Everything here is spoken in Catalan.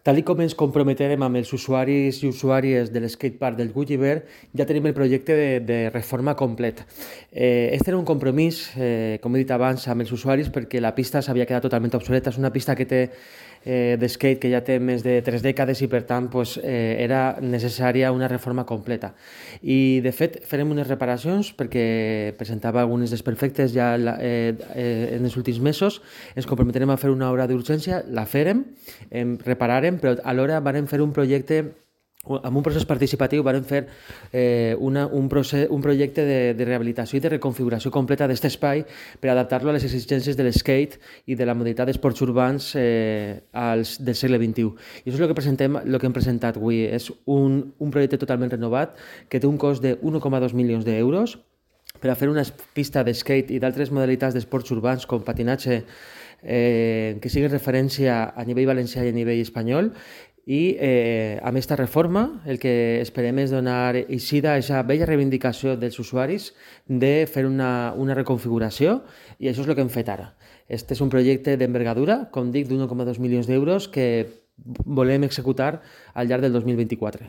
Tal com ens comprometerem amb els usuaris i usuàries de l'skatepark del Gulliver, ja tenim el projecte de reforma complet. Este era un compromís, com he dit abans, amb els usuaris perquè la pista s'havia quedat totalment obsoleta. És una pista que té d'skate que ja té més de 3 dècades i per tant era necessària una reforma completa. I de fet farem unes reparacions perquè presentava alguns desperfectes ja en els últims mesos. Ens comprometerem a fer una obra d'urgència, la farem, repararem, però alhora vam fer un projecte amb un procés participatiu, vam fer un projecte de rehabilitació i de reconfiguració completa d'aquest espai per adaptar-lo a les exigències de l'skate i de la modalitat d'esports urbans del segle XXI. I això és el que hem presentat avui. És un projecte totalment renovat que té un cost de 1,2 milions d'euros per a fer una pista d'skate i d'altres modalitats d'esports urbans com patinatge que siguin referència a nivell valencià i a nivell espanyol. I amb aquesta reforma el que esperem és donar eixida a aquesta vella reivindicació dels usuaris de fer una reconfiguració, i això és el que hem fet ara. Este és un projecte d'envergadura, com dic, d'1,2 milions d'euros que volem executar al llarg del 2024.